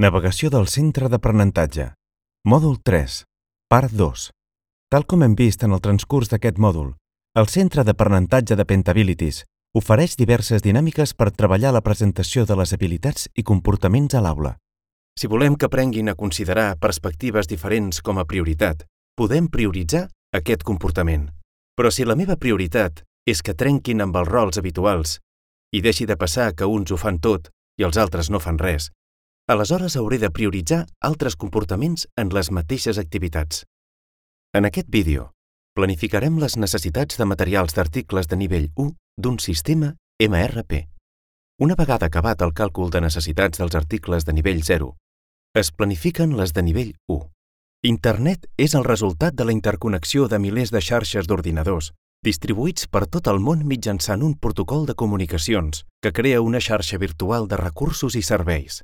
Navegació del centre d'aprenentatge. Mòdul 3, part 2. Tal com hem vist en el transcurs d'aquest mòdul, el centre d'aprenentatge de Pentabilities ofereix diverses dinàmiques per treballar la presentació de les habilitats i comportaments a l'aula. Si volem que aprenguin a considerar perspectives diferents com a prioritat, podem prioritzar aquest comportament. Però si la meva prioritat és que trenquin amb els rols habituals i deixi de passar que uns ho fan tot i els altres no fan res, aleshores hauré de prioritzar altres comportaments en les mateixes activitats. En aquest vídeo, planificarem les necessitats de materials d'articles de nivell 1 d'un sistema MRP. Una vegada acabat el càlcul de necessitats dels articles de nivell 0, es planifiquen les de nivell 1. Internet és el resultat de la interconnexió de milers de xarxes d'ordinadors, distribuïts per tot el món mitjançant un protocol de comunicacions que crea una xarxa virtual de recursos i serveis.